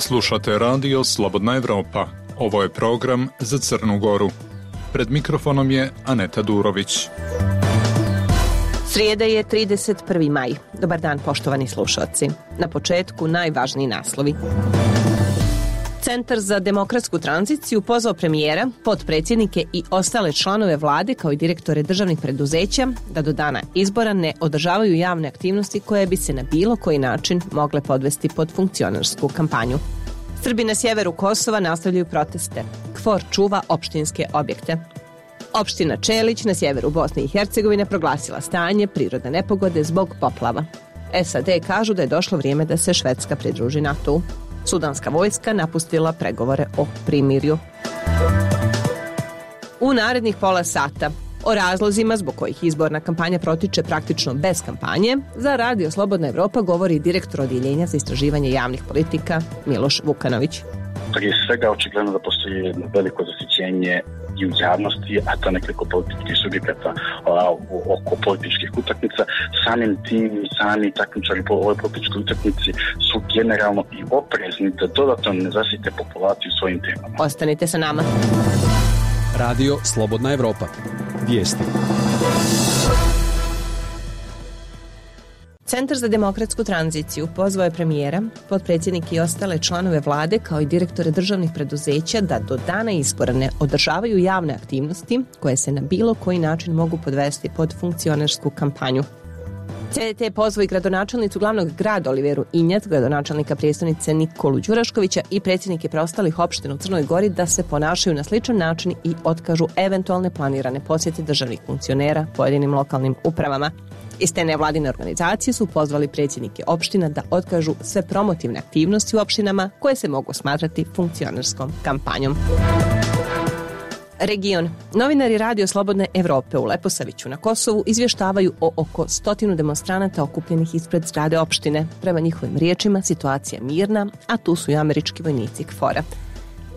Slušate radio Slobodna Evropa. Ovo je program za Crnu Goru. Pred mikrofonom je Aneta Durović. Srijeda je 31. maj. Dobar dan, poštovani slušalci. Na početku najvažniji naslovi. Centar za demokratsku tranziciju pozvao premijera, potpredsjednike i ostale članove vlade kao i direktore državnih preduzeća da do dana izbora ne održavaju javne aktivnosti koje bi se na bilo koji način mogle podvesti pod funkcionarsku kampanju. Srbi na sjeveru Kosova nastavljaju proteste. KFOR čuva opštinske objekte. Opština Čelić na sjeveru Bosne i Hercegovine proglasila stanje prirodne nepogode zbog poplava. SAD kažu da je došlo vrijeme da se Švedska pridruži NATO-u. Sudanska vojska napustila pregovore o primirju. U narednih pola sata o razlozima zbog kojih izborna kampanja protiče praktično bez kampanje, za Radio Slobodna Evropa govori direktor odjeljenja za istraživanje javnih politika Miloš Vukanović. Prije svega očigledno da postoji veliko zasićenje i u javnosti, a to nekoliko političkih subjekata oko političkih utakmica. Samim tim, sami takmičari po ovoj političkoj utakmici su generalno i oprezni da dodatno ne zasite populaciju svojim temama. Ostanite sa nama. Radio Slobodna Evropa. Vijesti. Centar za demokratsku tranziciju pozvao je premijera, potpredsjednike i ostale članove vlade kao i direktore državnih preduzeća da do dana izbora ne održavaju javne aktivnosti koje se na bilo koji način mogu podvesti pod funkcionarsku kampanju. CDT pozvao i gradonačelnicu glavnog grada Oliveru Injac, gradonačelnika prijestolnice Nikolu Đuraškovića i predsjednike preostalih opština u Crnoj Gori da se ponašaju na sličan način i otkažu eventualne planirane posjete državnih funkcionera pojedinim lokalnim upravama. Iz te nevladine organizacije su pozvali predsjednike opština da otkažu sve promotivne aktivnosti u opštinama koje se mogu smatrati funkcionarskom kampanjom. Region. Novinari Radio Slobodne Evrope u Leposaviću na Kosovu izvještavaju o oko 100 demonstranata okupljenih ispred zgrade opštine. Prema njihovim riječima situacija mirna, a tu su i američki vojnici KFOR-a.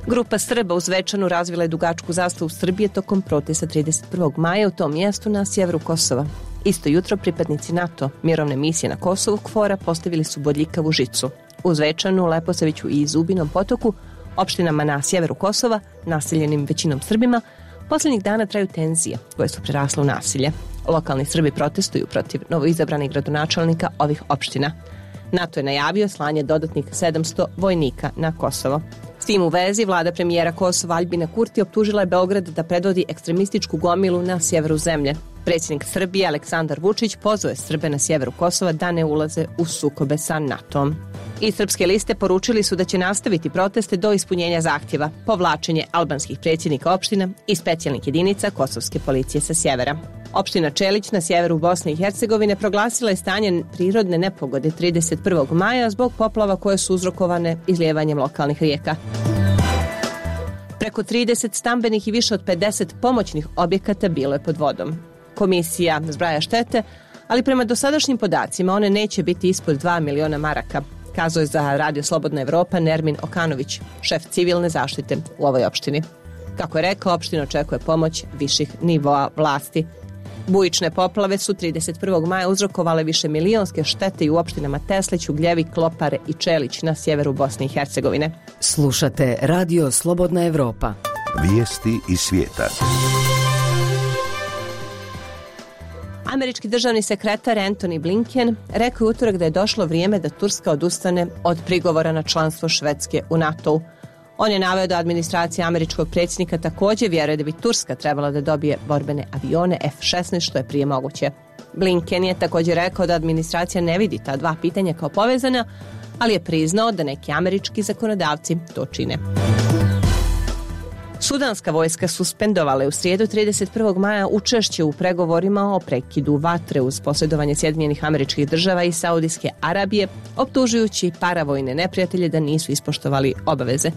Grupa Srba u Zvečanu razvila je dugačku zastavu Srbije tokom protesta 31. maja u tom mjestu na sjeveru Kosova. Isto jutro pripadnici NATO mirovne misije na Kosovu KFOR-a postavili su bodljikavu žicu. U Zvečanu, Leposaviću i Zubinom Potoku, opštinama na sjeveru Kosova, naseljenim većinom Srbima, posljednjih dana traju tenzije koje su prerasle u nasilje. Lokalni Srbi protestuju protiv novoizabranih gradonačelnika ovih opština. NATO je najavio slanje dodatnih 700 vojnika na Kosovo. S tim u vezi, vlada premijera Kosova Aljbina Kurti optužila je Beograd da predvodi ekstremističku gomilu na sjeveru zemlje. Predsjednik Srbije Aleksandar Vučić pozvao je Srbe na sjeveru Kosova da ne ulaze u sukobe sa NATO-om. I srpske liste poručili su da će nastaviti proteste do ispunjenja zahtjeva, povlačenje albanskih predsjednika opština i specijalnih jedinica kosovske policije sa sjevera. Opština Čelić na sjeveru Bosne i Hercegovine proglasila je stanje prirodne nepogode 31. maja zbog poplava koje su uzrokovane izlijevanjem lokalnih rijeka. Preko 30 stambenih i više od 50 pomoćnih objekata bilo je pod vodom. Komisija zbraja štete, ali prema dosadašnjim podacima one neće biti ispod 2 miliona maraka, kazao je za Radio Slobodna Evropa Nermin Okanović, šef civilne zaštite u ovoj opštini. Kako je rekao, opština očekuje pomoć viših nivoa vlasti. Bujične poplave su 31. maja uzrokovale višemilionske štete i u opštinama Teslić, Ugljevik, Klopare i Čelić na sjeveru Bosne i Hercegovine. Slušate Radio Slobodna Evropa. Vijesti iz svijeta. Američki državni sekretar Antony Blinken rekao je utorak da je došlo vrijeme da Turska odustane od prigovora na članstvo Švedske u NATO-u. On je naveo da administracija američkog predsjednika također vjeruje da bi Turska trebala da dobije borbene avione F-16 što je prije moguće. Blinken je također rekao da administracija ne vidi ta dva pitanja kao povezana, ali je priznao da neki američki zakonodavci to čine. Sudanska vojska suspendovala je u srijedu 31. maja učešće u pregovorima o prekidu vatre uz posredovanje Sjedinjenih Američkih Država i Saudijske Arabije, optužujući paravojne neprijatelje da nisu ispoštovali obaveze.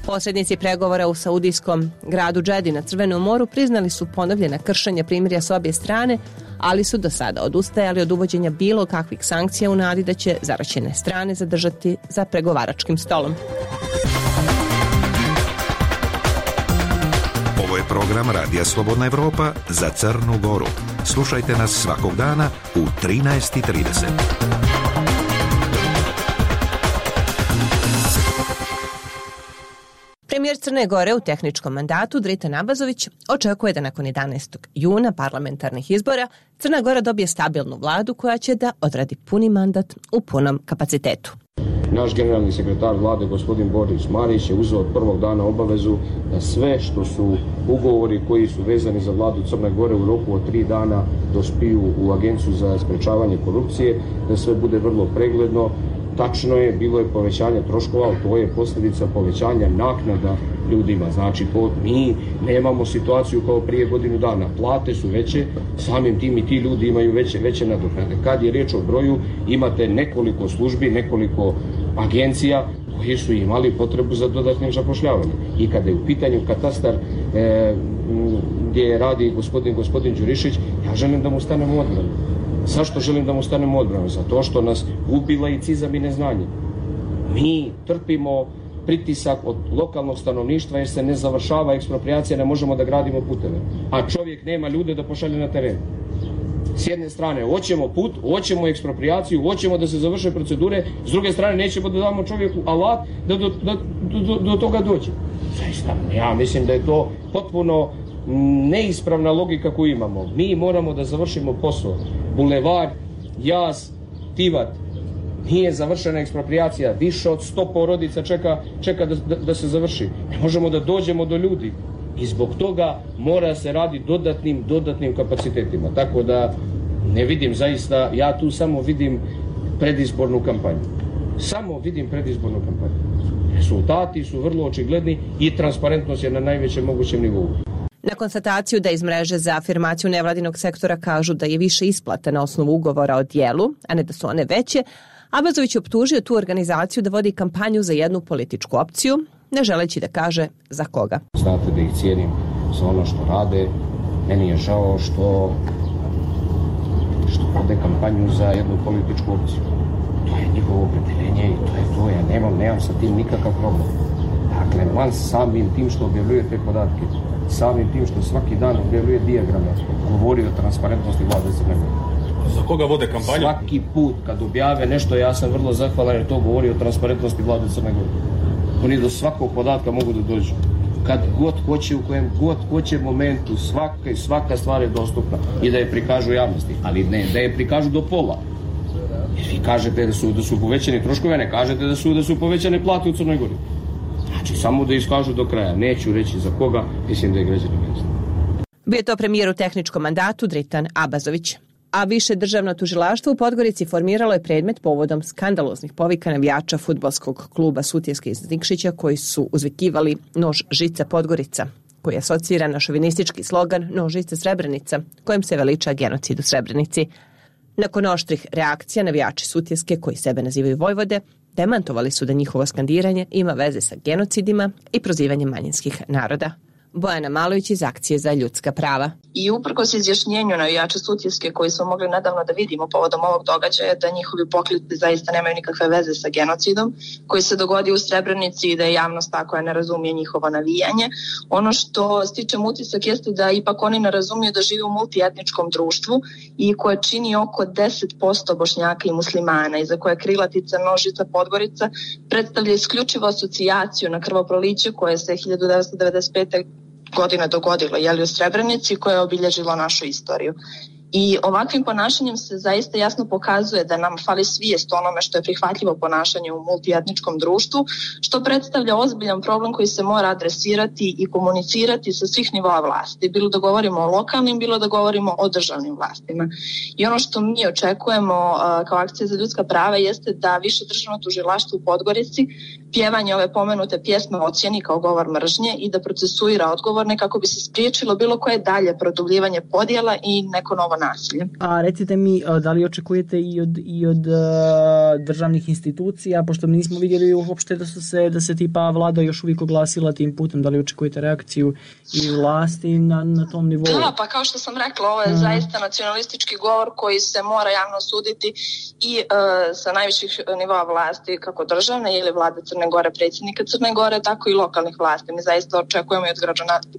Posrednici pregovora u saudijskom gradu Džedi na Crvenom moru priznali su ponovljena kršenja primirja s obje strane, ali su do sada odustajali od uvođenja bilo kakvih sankcija u nadi da će zaraćene strane zadržati za pregovaračkim stolom. Ovo je program Radija Slobodna Evropa za Crnu Goru. Slušajte nas svakog dana u 13:30. Crne Gore u tehničkom mandatu Dritan Abazović očekuje da nakon 11. juna parlamentarnih izbora Crna Gora dobije stabilnu vladu koja će da odradi puni mandat u punom kapacitetu. Naš generalni sekretar vlade, gospodin Boris Marić, je uzeo od prvog dana obavezu da sve što su ugovori koji su vezani za vladu Crne Gore u roku od 3 dana dospiju u Agenciju za sprečavanje korupcije, da sve bude vrlo pregledno. Tačno je, bilo je povećanje troškova, ali to je posljedica povećanja naknada ljudima. Znači, mi nemamo situaciju kao prije godinu dana. Plate su veće, samim tim i ti ljudi imaju veće nadoknade. Kad je riječ o broju, imate nekoliko službi, nekoliko agencija koji su imali potrebu za dodatnim zapošljavanjem. I kada je u pitanju katastar gdje radi gospodin Đurišić, ja želim da mu stanemo u odbranu. Zašto želim da mu stanemo u odbranu? Zato što nas gubi laicizam i neznanje. Mi trpimo pritisak od lokalnog stanovništva jer se ne završava eksproprijacija, ne možemo da gradimo puteve. A čovjek nema ljude da pošalje na teren. S jedne strane, hoćemo put, hoćemo eksproprijaciju, hoćemo da se završe procedure, s druge strane nećemo da damo čovjeku alat da do toga dođe. Zaista, ja mislim da je to potpuno neispravna logika koju imamo. Mi moramo da završimo posao. Bulevar, Jaz, Tivat, nije završena eksproprijacija, više od 100 porodica čeka da se završi. Ne možemo da dođemo do ljudi i zbog toga mora se radi dodatnim kapacitetima. Tako da ne vidim zaista, ja tu samo vidim predizbornu kampanju. Samo vidim predizbornu kampanju. Rezultati su vrlo očigledni i transparentnost je na najvećem mogućem nivou. Na konstataciju da iz mreže za afirmaciju nevladinog sektora kažu da je više isplata na osnovu ugovora o dijelu, a ne da su one veće, Abazović je optužio tu organizaciju da vodi kampanju za jednu političku opciju, ne želeći da kaže za koga. Znate da ih cijenim za ono što rade. Meni je žao što vode kampanju za jednu političku opciju. To je njihovo opredjeljenje i to je to. Ja nemam sa tim nikakav problem. Dakle, man samim tim što objavljuje te podatke, samim tim što svaki dan objavljuje dijagrame, govori o transparentnosti vlade Crne Gore. Za koga vode kampanju? Svaki put kad objave nešto, ja sam vrlo zahvalan jer to govori o transparentnosti vlade Crne Gore. Oni do svakog podatka mogu da dođu. Kad god hoće, u kojem god hoće momentu, svaka stvar je dostupna i da je prikažu javnosti, ali ne da je prikažu do pola. Jer vi kažete da su povećani troškovi, ne kažete da su povećane plate u Crnoj Gori. Znači, samo da iskažu do kraja. Neću reći za koga, mislim da je građani ne znaju. Bio je to premijer u tehničkom mandatu Dritan Abazović. A više državno tužilaštvo u Podgorici formiralo je predmet povodom skandaloznih povika navijača fudbalskog kluba Sutjeske iz Nikšića koji su uzvikivali nož žica Podgorica, koji je asociran na šovinistički slogan nož žica Srebrenica, kojim se veliča genocid u Srebrenici. Nakon oštrih reakcija, navijači Sutjeske, koji sebe nazivaju Vojvode, demantovali su da njihovo skandiranje ima veze sa genocidima i prozivanjem manjinskih naroda. Bojana Malović iz Akcije za ljudska prava. I uprkos izjašnjenju navijača Sutjeske koji smo mogli nedavno da vidimo povodom ovog događaja da njihovi pokliti zaista nemaju nikakve veze sa genocidom koji se dogodio u Srebrenici i da je javnost tako ne razumije njihovo navijanje. Ono što stičem utisak jeste da ipak oni ne razumiju da žive u multietničkom društvu i koje čini oko 10% Bošnjaka i muslimana i za koje krilatica nožica Podgorica predstavlja isključivo asocijaciju na krvoproliće koje se 1995. godina dogodilo u Srebrenici koje je obilježilo našu istoriju. I ovakvim ponašanjem se zaista jasno pokazuje da nam fali svijest onome što je prihvatljivo ponašanje u multietničkom društvu, što predstavlja ozbiljan problem koji se mora adresirati i komunicirati sa svih nivoa vlasti. Bilo da govorimo o lokalnim, bilo da govorimo o državnim vlastima. I ono što mi očekujemo kao Akcija za ljudska prava jeste da više državno tužilaštvo u Podgorici pjevanje ove pomenute pjesme ocijeni kao govor mržnje i da procesuira odgovorne kako bi se spriječilo bilo koje dalje produbljivanje podjela i neko novo nasilje. A recite mi, da li očekujete i od državnih institucija, pošto mi nismo vidjeli uopšte da se tipa vlada još uvijek oglasila tim putem, da li očekujete reakciju i vlasti na tom nivou? Da, pa kao što sam rekla, ovo je zaista nacionalistički govor koji se mora javno suditi i sa najviših nivoa vlasti, kako državne ili vlade Crne Gore, predsjednika Crne Gore, tako i lokalnih vlasti. Mi zaista očekujemo i od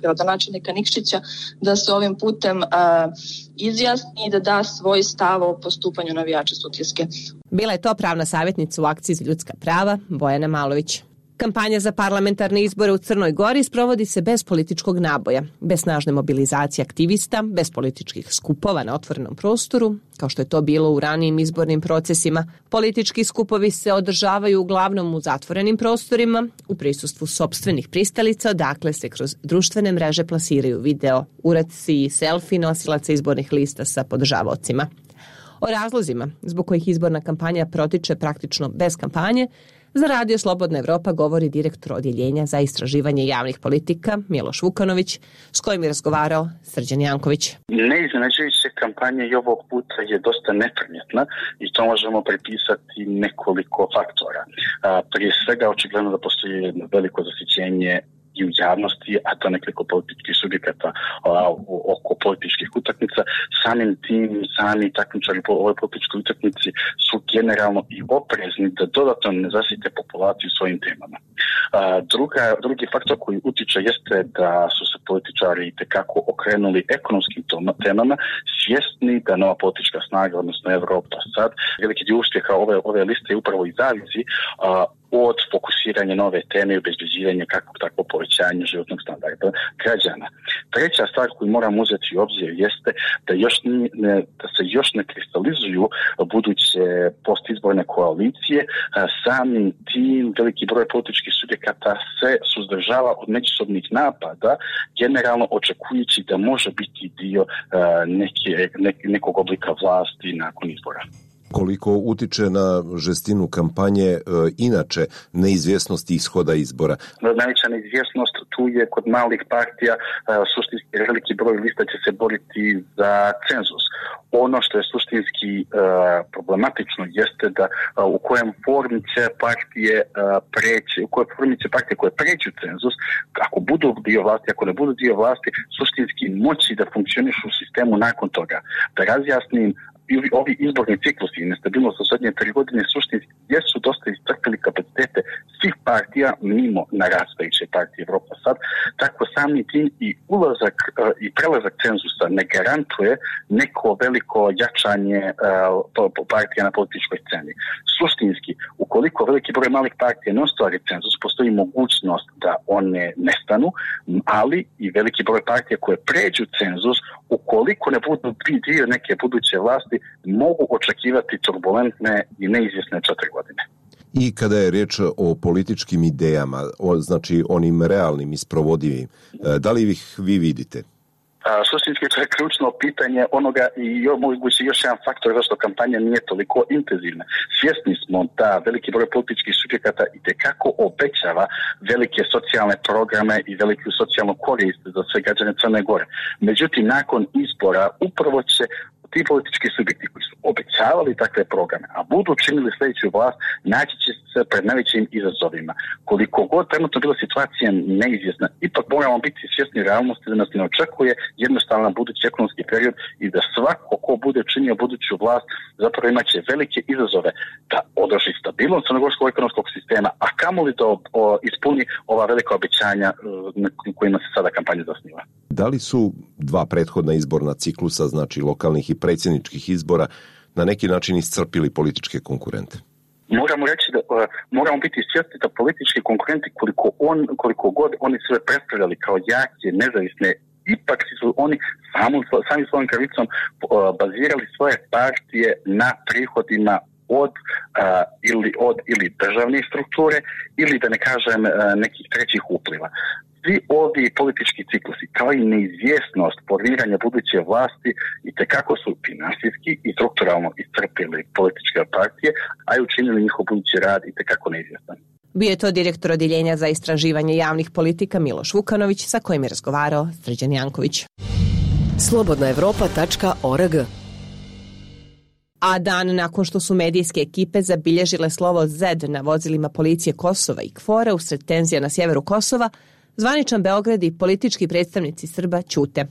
gradonačelnika Nikšića da se ovim putem izjasni i da da svoj stav o postupanju navijača Sutjeske. Bila je to pravna savjetnica u Akciji za ljudska prava Bojana Malović. Kampanja za parlamentarne izbore u Crnoj Gori sprovodi se bez političkog naboja, bez snažne mobilizacije aktivista, bez političkih skupova na otvorenom prostoru, kao što je to bilo u ranijim izbornim procesima. Politički skupovi se održavaju uglavnom u zatvorenim prostorima, u prisustvu sopstvenih pristalica, odakle se kroz društvene mreže plasiraju video, uradci i selfie nosilaca izbornih lista sa podržavaocima. O razlozima zbog kojih izborna kampanja protiče praktično bez kampanje, za Radio Slobodna Evropa govori direktor Odjeljenja za istraživanje javnih politika Miloš Vukanović, s kojim je razgovarao Srđan Janković. Neiznenađujuća kampanja i ovog puta je dosta neprimjetna i to možemo pripisati nekoliko faktora. Prije svega, očigledno da postoji veliko zasićenje i u javnosti, a to nekoliko političkih subjekata oko političkih utakmica. Samim tim, sami takmičari po ovoj političkoj utakmici su generalno i oprezni da dodatno ne zasite populaciju svojim temama. Drugi faktor koji utiče jeste da su se političari itekako okrenuli ekonomskim temama, svjesni da nova politička snaga, odnosno Evropa sad, veliki dio uspjeha ove liste upravo i zavisi od fokusiranja nove teme i obezbeđivanja kakvog takvo povećanja životnog standarda građana. Treća stvar koju moramo uzeti u obzir jeste da se još ne kristalizuju buduće postizborne koalicije. Samim tim veliki broj političkih subjekata se suzdržava od međusobnih napada, generalno očekujući da može biti dio nekog oblika vlasti nakon izbora. Koliko utiče na žestinu kampanje inače neizvjesnosti ishoda izbora? Najveća neizvjesnost tu je kod malih partija, suštinski veliki broj lista će se boriti za cenzus. Ono što je suštinski problematično jeste da u kojem formi će partije preći, u kojoj formi će partije koje pređu cenzus, ako budu dio vlasti, ako ne budu dio vlasti, suštinski moći da funkcionišu u sistemu nakon toga. Da razjasnim, ovi izborni ciklusi i nestabilnost u zadnje 3 godine suštinski jesu dosta iscrpili kapacitete svih partija mimo narastajuće partije Evropa sad, tako sami tim i ulazak i prelazak cenzusa ne garantuje neko veliko jačanje partija na političkoj sceni. Suštinski, ukoliko veliki broj malih partija ne ostvari cenzus, postoji mogućnost da one nestanu, ali i veliki broj partija koje pređu cenzus, ukoliko ne budu dio neke buduće vlasti, mogu očekivati turbulentne i neizvjesne 4 godine. I kada je riječ o političkim idejama, znači onim realnim i sprovodivim, da li ih vi vidite? Suštinski to je ključno pitanje onoga i moguće još jedan faktor zašto kampanja nije toliko intenzivna. Svjesni smo da veliki broj političkih subjekata itekako obećava velike socijalne programe i veliku socijalnu korist za sve građane Crne Gore. Međutim, nakon izbora upravo će ti politički subjekti koji su obećavali takve programe, a budu učinili sljedeću vlast, naći će se pred najvećim izazovima. Koliko god trenutno bila situacija neizvjesna, ipak moramo biti svjesni realnosti da nas ne očekuje jednostavan budući ekonomski period i da svako ko bude činio buduću vlast zapravo imat će velike izazove da održi stabilnost crnogorskog ekonomskog sistema, a kamoli da ispuni ova velika obećanja kojima se sada kampanja zasniva. Da li su 2 prethodna izborna ciklusa, znači lokalnih i predsjedničkih izbora, na neki način iscrpili političke konkurente? Moramo reći da moramo biti svjesni da politički konkurenti koliko god oni sve predstavljali kao jake, nezavisne, ipak su oni sami svojom krivicom bazirali svoje partije na prihodima ili državne strukture ili da ne kažem nekih trećih upliva. Svi ovi politički ciklusi, kao i neizvjesnost formiranja buduće vlasti, itekako su finansijski i strukturalno iscrpili političke partije, a i učinili njihov budući rad itekako neizvjestan. Bio je to direktor Odjeljenja za istraživanje javnih politika Miloš Vukanović, sa kojim je razgovarao Srđan Janković. slobodnaevropa.org. A dan nakon što su medijske ekipe zabilježile slovo Z na vozilima policije Kosova i KFOR-a usred tenzija na sjeveru Kosova, zvaničan Beograd i politički predstavnici Srba ćute.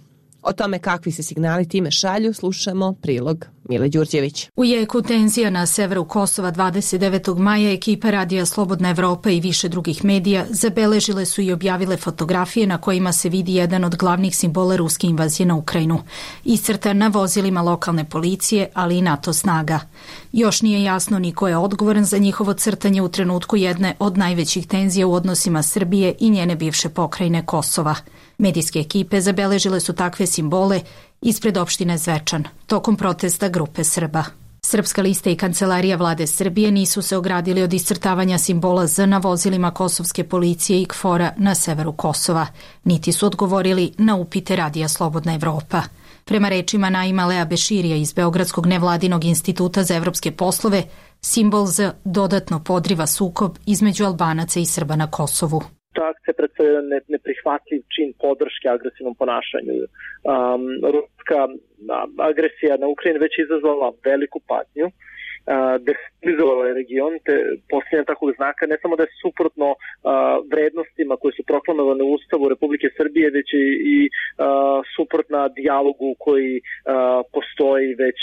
O tome kakvi se signali time šalju slušamo prilog Mile Đurđević. U jeku tenzija na severu Kosova 29. maja ekipa Radija Slobodna Evropa i više drugih medija zabeležile su i objavile fotografije na kojima se vidi jedan od glavnih simbola ruske invazije na Ukrajinu, iscrtan na vozilima lokalne policije, ali i NATO snaga. Još nije jasno ni ko je odgovoran za njihovo crtanje u trenutku jedne od najvećih tenzija u odnosima Srbije i njene bivše pokrajine Kosova. Medijske ekipe zabeležile su takve simbole ispred opštine Zvečan, tokom protesta grupe Srba. Srpska lista i kancelarija vlade Srbije nisu se ogradili od iscrtavanja simbola Z na vozilima kosovske policije i KFOR-a na severu Kosova, niti su odgovorili na upite Radija Slobodna Evropa. Prema rečima Naima Lea Beširija iz Beogradskog nevladinog instituta za evropske poslove, simbol Z dodatno podriva sukob između Albanaca i Srba na Kosovu. Ta akcija predstavlja neprihvatljiv čin podrške agresivnom ponašanju. Ruska agresija na Ukrajinu već izazvala veliku patnju, destabilizovala je region, te posljednja takvog znaka ne samo da je suprotno vrednostima koje su proklamovane u Ustavu Republike Srbije, već i suprotna dijalogu koji postoji već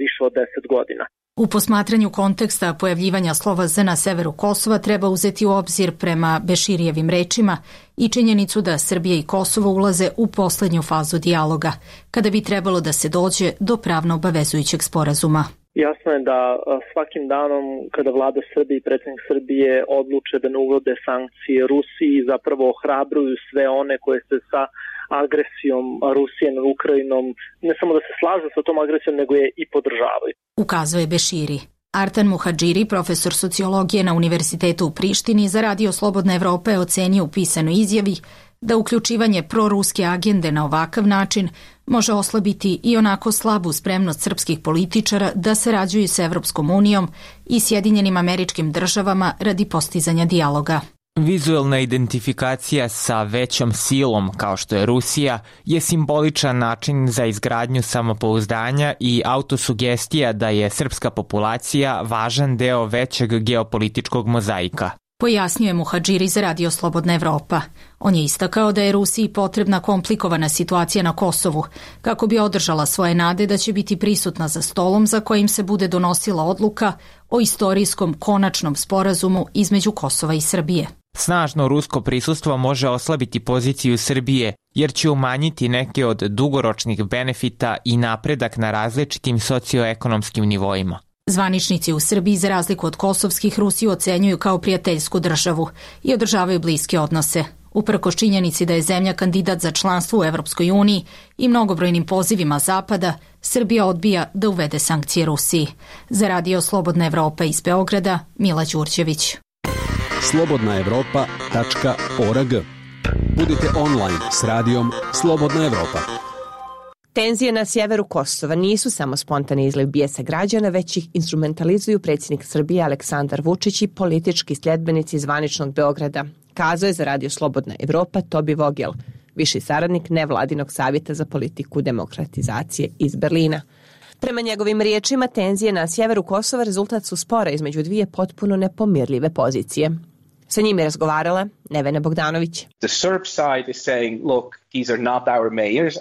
više od 10 godina. U posmatranju konteksta pojavljivanja slova Z na severu Kosova treba uzeti u obzir prema Beširijevim rečima i činjenicu da Srbija i Kosovo ulaze u poslednju fazu dijaloga, kada bi trebalo da se dođe do pravno obavezujućeg sporazuma. Jasno je da svakim danom kada vlada Srbije i predsjednik Srbije odluče da ne uvode sankcije Rusiji, zapravo ohrabruju sve one koje se sa agresijom Rusije nad Ukrajinom ne samo da se slažu sa tom agresijom, nego je i podržavaju. Ukazuje Beširi. Artan Muhadžiri, profesor sociologije na Univerzitetu u Prištini, za Radio Slobodna Evropa je ocenio u pisanoj izjavi da uključivanje proruske agende na ovakav način može oslabiti i onako slabu spremnost srpskih političara da sarađuju sa Evropskom unijom i Sjedinjenim Američkim Državama radi postizanja dijaloga. Vizuelna identifikacija sa većom silom, kao što je Rusija, je simboličan način za izgradnju samopouzdanja i autosugestija da je srpska populacija važan deo većeg geopolitičkog mozaika. Pojasnjuje Muhadžiri za Radio Slobodna Evropa. On je istakao da je Rusiji potrebna komplikovana situacija na Kosovu, kako bi održala svoje nade da će biti prisutna za stolom za kojim se bude donosila odluka o istorijskom konačnom sporazumu između Kosova i Srbije. Snažno rusko prisustvo može oslabiti poziciju Srbije, jer će umanjiti neke od dugoročnih benefita i napredak na različitim socioekonomskim nivoima. Zvaničnici u Srbiji, za razliku od kosovskih, Rusiju ocenjuju kao prijateljsku državu i održavaju bliske odnose. Uprkos činjenici da je zemlja kandidat za članstvo u Evropskoj uniji i mnogobrojnim pozivima Zapada, Srbija odbija da uvede sankcije Rusiji. Za Radio Slobodna Evropa iz Beograda, Mila Đurđević. slobodnaevropa.org. Budite online s radijom Slobodna Evropa. Tenzije na sjeveru Kosova nisu samo spontani izliv bijesa građana, već ih instrumentalizuju predsjednik Srbije Aleksandar Vučić i politički sljedbenici zvaničnog Beograda, kazao je za Radio Slobodna Evropa Tobi Vogel, viši saradnik nevladinog savjeta za politiku demokratizacije iz Berlina. Prema njegovim riječima, tenzije na sjeveru Kosova rezultat su spora između dvije potpuno nepomirljive pozicije. Sa njim je razgovarala Nevena Bogdanović.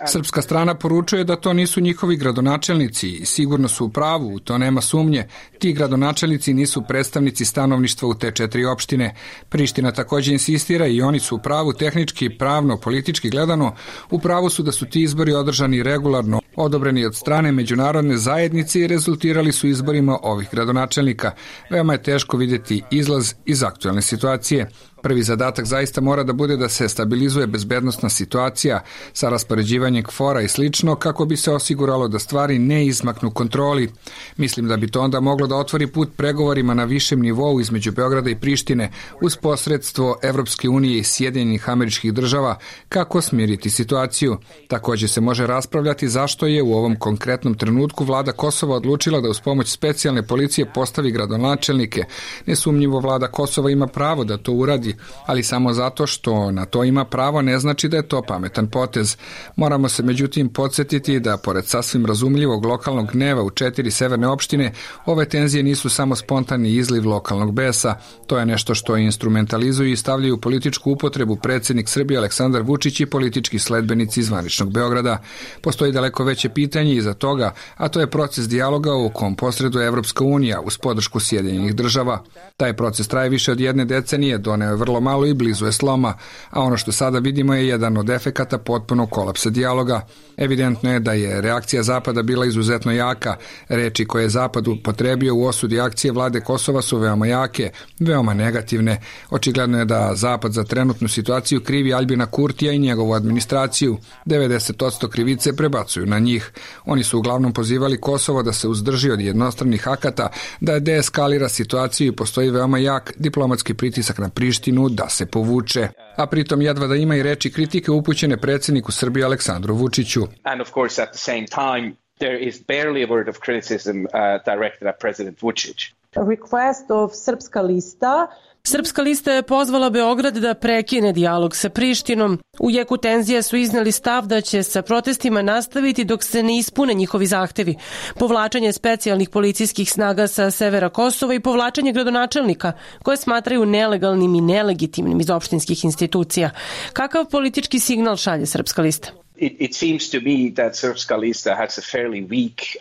Srpska strana poručuje da to nisu njihovi gradonačelnici i sigurno su u pravu, to nema sumnje. Ti gradonačelnici nisu predstavnici stanovništva u te 4 opštine. Priština također insistira i oni su u pravu tehnički, pravno, politički gledano. U pravu su da su ti izbori održani regularno, odobreni od strane međunarodne zajednice i rezultirali su izborima ovih gradonačelnika. Veoma je teško vidjeti izlaz iz aktualne situacije. Prvi zadatak zaista mora da bude da se stabilizuje bezbednosna situacija sa raspoređivanjem KFOR-a i slično kako bi se osiguralo da stvari ne izmaknu kontroli. Mislim da bi to onda moglo da otvori put pregovorima na višem nivou između Beograda i Prištine uz posredstvo Evropske unije i Sjedinjenih Američkih Država kako smiriti situaciju. Također se može raspravljati zašto je u ovom konkretnom trenutku vlada Kosova odlučila da uz pomoć specijalne policije postavi gradonačelnike. Nesumnjivo vlada Kosova ima pravo da to uradi ulozi, ali samo zato što na to ima pravo ne znači da je to pametan potez. Moramo se međutim podsjetiti da pored sasvim razumljivog lokalnog gneva u 4 severne opštine, ove tenzije nisu samo spontani izliv lokalnog besa. To je nešto što instrumentalizuju i stavljaju političku upotrebu predsjednik Srbije Aleksandar Vučić i politički sledbenici iz zvaničnog Beograda. Postoji daleko veće pitanje iza toga, a to je proces dijaloga u kom posreduje Evropska unija uz podršku Sjedinjenih država. Taj proces traje više od 1 decenije, doneo je vrlo malo i blizu je sloma, a ono što sada vidimo je jedan od efekata potpunog kolapsa dijaloga. Evidentno je da je reakcija Zapada bila izuzetno jaka. Reči koje je Zapad upotrebio u osudi akcije vlade Kosova su veoma jake, veoma negativne. Očigledno je da Zapad za trenutnu situaciju krivi Aljbina Kurtija i njegovu administraciju. 90% krivice prebacuju na njih. Oni su uglavnom pozivali Kosovo da se uzdrži od jednostranih akata, da deeskalira situaciju i postoji veoma jak diplomatski pritisak na Prištinu da se povuče. A pritom jedva da ima i reči kritike upućene predsjedniku Srbije Aleksandru Vučiću. And of course at the same time there is barely a word of criticism directed at President Vučić. A request of Srpska lista. Srpska lista je pozvala Beograd da prekine dijalog sa Prištinom. U jeku tenzije su izneli stav da će sa protestima nastaviti dok se ne ispune njihovi zahtevi. Povlačenje specijalnih policijskih snaga sa severa Kosova i povlačenje gradonačelnika koje smatraju nelegalnim i nelegitimnim iz opštinskih institucija. Kakav politički signal šalje Srpska lista? It seems to me that Srpska lista has a fairly weak...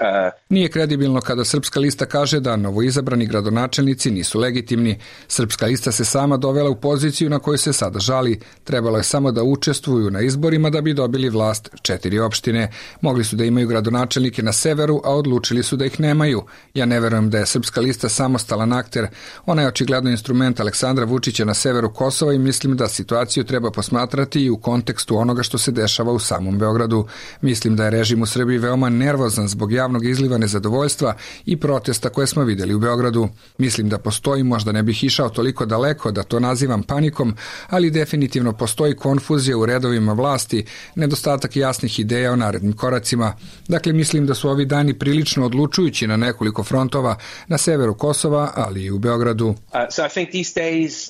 Nije kredibilno kada Srpska lista kaže da novoizabrani gradonačelnici nisu legitimni. Srpska lista se sama dovela u poziciju na kojoj se sada žali. Trebalo je samo da učestvuju na izborima da bi dobili vlast 4 opštine. Mogli su da imaju gradonačelnike na severu, a odlučili su da ih nemaju. Ja ne verujem da je Srpska lista samostalan akter. Ona je očigledno instrument Aleksandra Vučića na severu Kosova i mislim da situaciju treba posmatrati i u kontekstu onoga što se dešava u samom Beogradu. Mislim da je režim u Srbiji veoma nervozan zbog javnog izliva nezadovoljstva i protesta koje smo vidjeli u Beogradu. Mislim da postoji, možda ne bih išao toliko daleko da to nazivam panikom, ali definitivno postoji konfuzija u redovima vlasti, nedostatak jasnih ideja o narednim koracima. Dakle, mislim da su ovi dani prilično odlučujući na nekoliko frontova na severu Kosova, ali i u Beogradu. So I think these days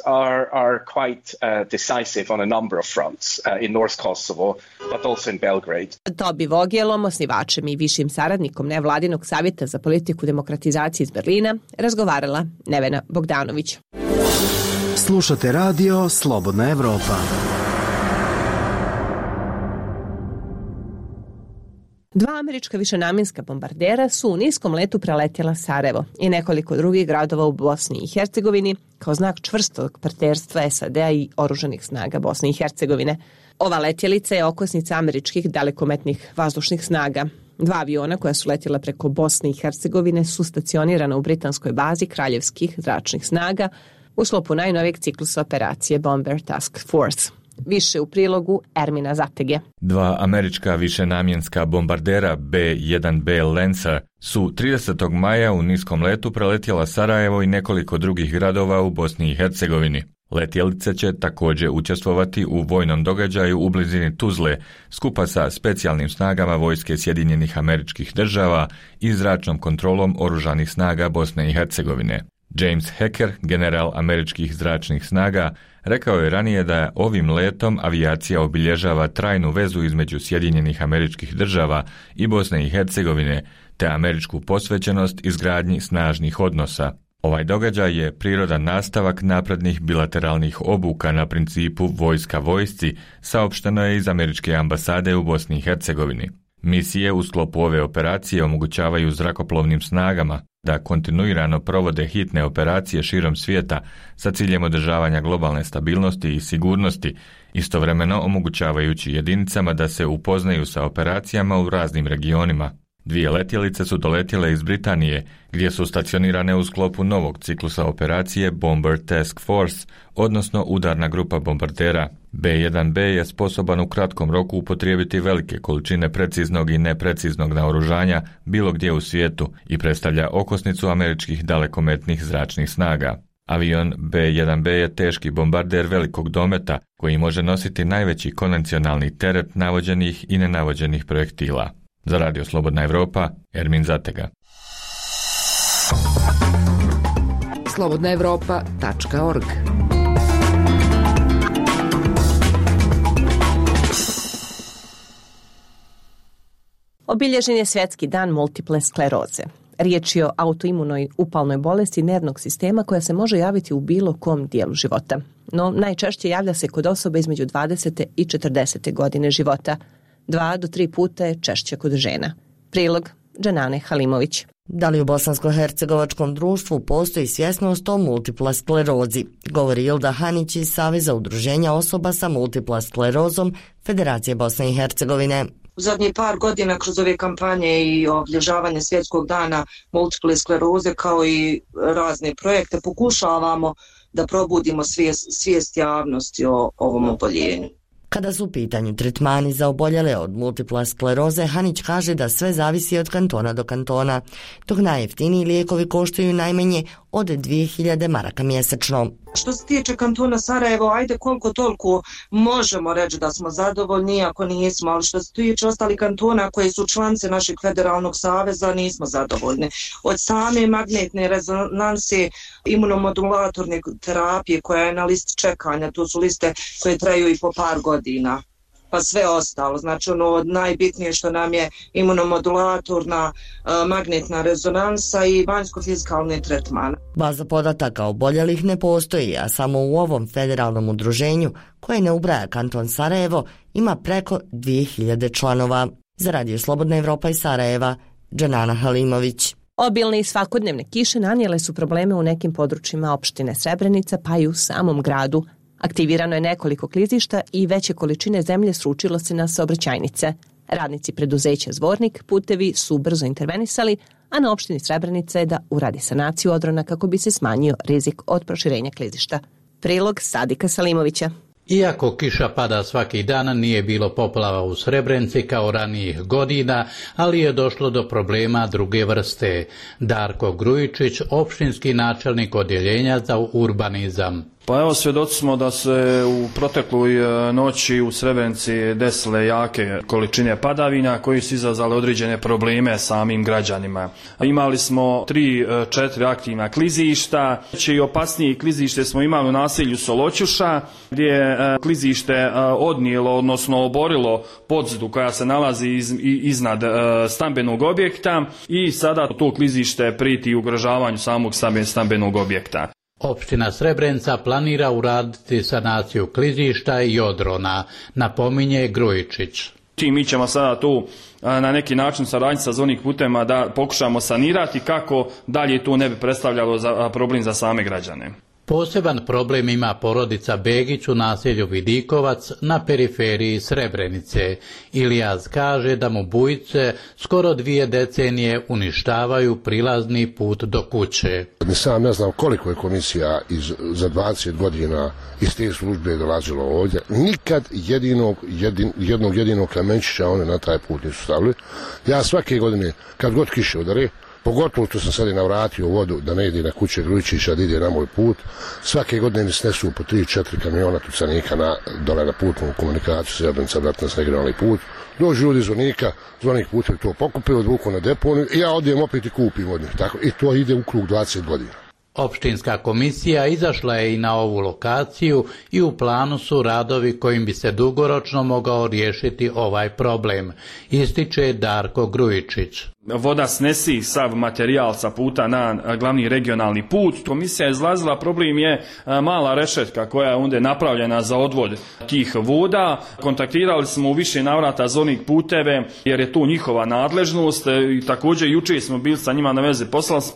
are quite decisive on a number of fronts in North Kosovo, but also in Belgrade. Tobi Vogelom, osnivačem i višim saradnikom nevladinog savjeta za politiku demokratizacije iz Berlina, razgovarala Nevena Bogdanović. Slušate radio Slobodna Evropa. Dva američka višenamjenska bombardera su u niskom letu preletjela Sarajevo i nekoliko drugih gradova u Bosni i Hercegovini kao znak čvrstog partnerstva SAD-a i oružanih snaga Bosne i Hercegovine. Ova letjelica je okosnica američkih dalekometnih vazdušnih snaga. 2 aviona koja su letjela preko Bosne i Hercegovine su stacionirana u britanskoj bazi kraljevskih zračnih snaga u sklopu najnovijeg ciklusa operacije Bomber Task Force. Više u prilogu Ermina Zatege. 2 američka višenamjenska bombardera B-1B Lancer su 30. maja u niskom letu preletjela Sarajevo i nekoliko drugih gradova u Bosni i Hercegovini. Letjelice će također učestvovati u vojnom događaju u blizini Tuzle skupa sa specijalnim snagama vojske Sjedinjenih Američkih Država i zračnom kontrolom oružanih snaga Bosne i Hercegovine. James Hacker, general američkih zračnih snaga, rekao je ranije da ovim letom avijacija obilježava trajnu vezu između Sjedinjenih Američkih Država i Bosne i Hercegovine, te američku posvećenost izgradnji snažnih odnosa. Ovaj događaj je prirodan nastavak naprednih bilateralnih obuka na principu vojska vojsci, saopšteno je iz američke ambasade u Bosni i Hercegovini. Misije u sklopu ove operacije omogućavaju zrakoplovnim snagama da kontinuirano provode hitne operacije širom svijeta sa ciljem održavanja globalne stabilnosti i sigurnosti, istovremeno omogućavajući jedinicama da se upoznaju sa operacijama u raznim regionima. 2 letjelice su doletjele iz Britanije, gdje su stacionirane u sklopu novog ciklusa operacije Bomber Task Force, odnosno udarna grupa bombardera. B-1B je sposoban u kratkom roku upotrijebiti velike količine preciznog i nepreciznog naoružanja bilo gdje u svijetu i predstavlja okosnicu američkih dalekometnih zračnih snaga. Avion B-1B je teški bombarder velikog dometa koji može nositi najveći konvencionalni teret navođenih i nenavođenih projektila. Za Radio Slobodna Evropa, Ermin Zatega. slobodnaevropa.org Obilježen je Svjetski dan multiple skleroze. Riječ je o autoimunoj upalnoj bolesti nervnog sistema koja se može javiti u bilo kom dijelu života. No, najčešće javlja se kod osobe između 20. i 40. godine života. 2 do 3 puta je češće kod žena. Prilog Džanane Halimović. Da li u bosansko-hercegovačkom društvu postoji svjesnost o multipla sklerozi? Govori Ilda Hanić iz Saveza udruženja osoba sa multipla sklerozom Federacije Bosne i Hercegovine. U zadnjih par godina kroz ove kampanje i obilježavanje Svjetskog dana multiple skleroze kao i razne projekte pokušavamo da probudimo svijest javnosti o ovom oboljenju. Kada su u pitanju tretmani za oboljele od multipla skleroze, Hanić kaže da sve zavisi od kantona do kantona, dok najjeftiniji lijekovi koštaju najmanje od 2000 maraka mjesečno. Što se tiče kantona Sarajevo, ajde koliko toliko možemo reći da smo zadovoljni, ako nismo, ali što se tiče ostalih kantona koji su članice našeg federalnog saveza, nismo zadovoljni. Od same magnetne rezonanse, imunomodulatorne terapije koja je na listi čekanja, to su liste koje traju i po par godina, pa sve ostalo. Znači ono najbitnije što nam je imunomodulatorna magnetna rezonansa i vanjsko-fizikalni tretman. Baza podataka oboljelih ne postoji, a samo u ovom federalnom udruženju, koje ne ubraja kanton Sarajevo, ima preko 2000 članova. Za Radio Slobodna Evropa iz Sarajeva, Džanana Halimović. Obilne i svakodnevne kiše nanijele su probleme u nekim područjima opštine Srebrenica, pa i u samom gradu. Aktivirano je nekoliko klizišta i veće količine zemlje sručilo se na saobraćajnice. Radnici preduzeća Zvornik putevi su brzo intervenisali, a na opštini Srebrenica je da uradi sanaciju odrona kako bi se smanjio rizik od proširenja klizišta. Prilog Sadika Salimovića. Iako kiša pada svaki dan, nije bilo poplava u Srebrenici kao ranijih godina, ali je došlo do problema druge vrste. Darko Grujičić, opštinski načelnik odjeljenja za urbanizam. Pa evo, svjedoci smo da se u protekloj noći u Srebrenici desile jake količine padavina koji su izazvali određene probleme samim građanima. Imali smo 3-4 aktivna klizišta, i opasnije klizište smo imali u naselju Soloćuša, gdje je klizište odnijelo, odnosno oborilo podzidu koja se nalazi iznad stambenog objekta i sada to klizište prijeti ugrožavanju samog stambenog objekta. Opština Srebrenica planira uraditi sanaciju klizišta i odrona, napominje Grujičić. Mi ćemo sada tu na neki način saradnji sa Zvornik putevima da pokušamo sanirati kako dalje to ne bi predstavljalo problem za same građane. Poseban problem ima porodica Begić u naselju Vidikovac na periferiji Srebrenice. Ilijaz kaže da mu bujice skoro 2 decenije uništavaju prilazni put do kuće. Ni sam ne znam koliko je komisija za 20 godina iz te službe dolazilo ovdje. Nikad jednog jedinog kamenčića one na taj put nisu stavili. Ja svake godine, kad god kiše udare, pogotovo što sam sad i navratio vodu da ne ide na kuće Grujičića, da ide na moj put. Svake godine mi snesu po 3-4 kamiona tucanika dole na putnu komunikaciju Srebrenica, Bratnac, regionalni put. Dođu ljudi iz Zvornika, Zvornik putevi to pokupe, odvuku na deponiju i ja odijem opet i kupim od njih. Tako, i to ide u krug 20 godina. Opštinska komisija izašla je i na ovu lokaciju i u planu su radovi kojim bi se dugoročno mogao riješiti ovaj problem, ističe Darko Grujičić. Voda snesi sav materijal sa puta na glavni regionalni put. Komisija je izlazila, problem je mala rešetka koja je onda napravljena za odvod tih voda. Kontaktirali smo u više navrata Zvornik puteve jer je to njihova nadležnost i također jučer smo bili sa njima na veze.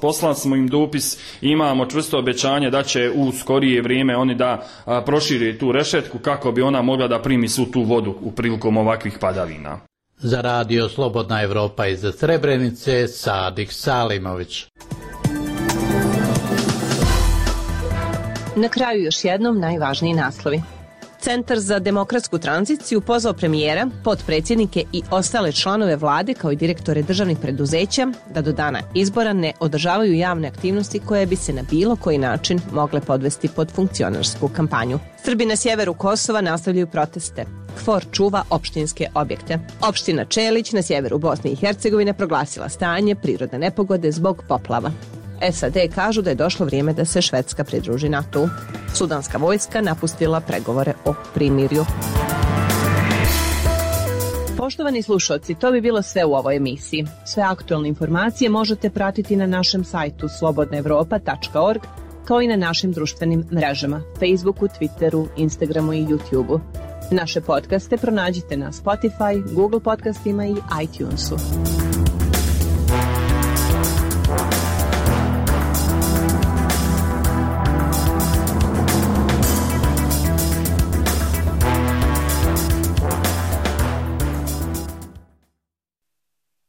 Poslali smo im dopis, imamo čvrsto obećanje da će u skorije vrijeme oni da prošire tu rešetku kako bi ona mogla da primi svu tu vodu u prilikom ovakvih padavina. Za Radio Slobodna Evropa iz Srebrenice, Sadik Salimović. Na kraju još jednom najvažniji naslovi. Centar za demokratsku tranziciju pozvao premijera, potpredsjednike i ostale članove vlade kao i direktore državnih preduzeća da do dana izbora ne održavaju javne aktivnosti koje bi se na bilo koji način mogle podvesti pod funkcionarsku kampanju. Srbi na sjeveru Kosova nastavljaju proteste. KFOR čuva opštinske objekte. Opština Čelić na sjeveru Bosne i Hercegovine proglasila stanje prirodne nepogode zbog poplava. SAD kažu da je došlo vrijeme da se Švedska pridruži NATO-u. Sudanska vojska napustila pregovore o primirju. Poštovani slušalci, to bi bilo sve u ovoj emisiji. Sve aktualne informacije možete pratiti na našem sajtu slobodnaevropa.org, kao i na našim društvenim mrežama, Facebooku, Twitteru, Instagramu i YouTubeu. Naše podcaste pronađite na Spotify, Google podcastima i iTunesu.